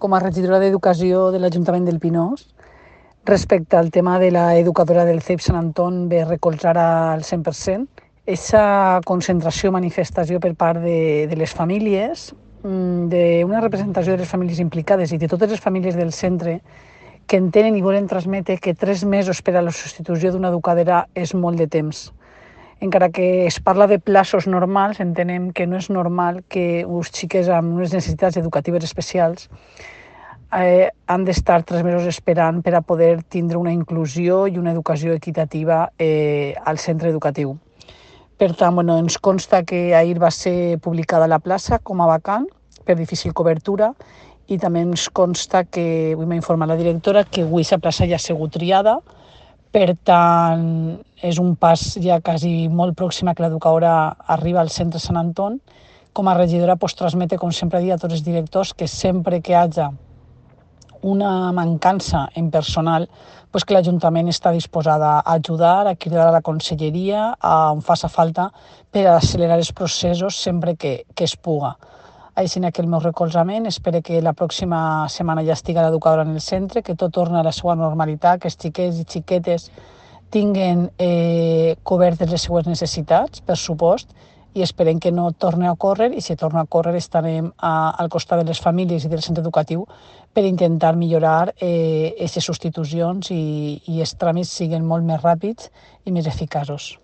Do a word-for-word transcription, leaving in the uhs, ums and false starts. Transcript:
Com a regidora d'Educació de l'Ajuntament del Pinós, respecte al tema de l'educadora del C E I P Sant Anton, ve recolzar al cent per cent. Aquesta concentració, manifestació per part de, de les famílies, d'una representació de les famílies implicades i de totes les famílies del centre que entenen i volen transmetre que tres mesos per a la substitució d'una educadora és molt de temps. Encara que es parla de plaços normals, entenem que no és normal que uns xiques amb unes necessitats educatives especials eh, han d'estar tres mesos esperant per a poder tindre una inclusió i una educació equitativa eh, al centre educatiu. Per tant, bueno, ens consta que ahir va ser publicada la plaça com a vacant per difícil cobertura i també ens consta que, avui m'ha informat la directora, que avui la plaça ja ha sigut triada. Per tant, és un pas ja quasi molt pròxim a que l'educadora arriba al centre Sant Anton. Com a regidora, pues, transmete, com sempre dic a tots els directors, que sempre que hi hagi una mancança en personal, pues que l'Ajuntament està disposada a ajudar, a cridar a la conselleria, a on faci falta, per accelerar els processos sempre que, que es puga. Així que el meu recolzament, espero que la pròxima setmana ja estigui l'educadora en el centre, que tot torni a la seva normalitat, que els xiquets i xiquetes tinguen eh, cobertes les seues necessitats, per supost, i esperem que no torni a ocórrer, i si torna a ocórrer estarem a, al costat de les famílies i del centre educatiu per intentar millorar aquestes eh, substitucions i, i els tràmits siguin molt més ràpids i més eficaços.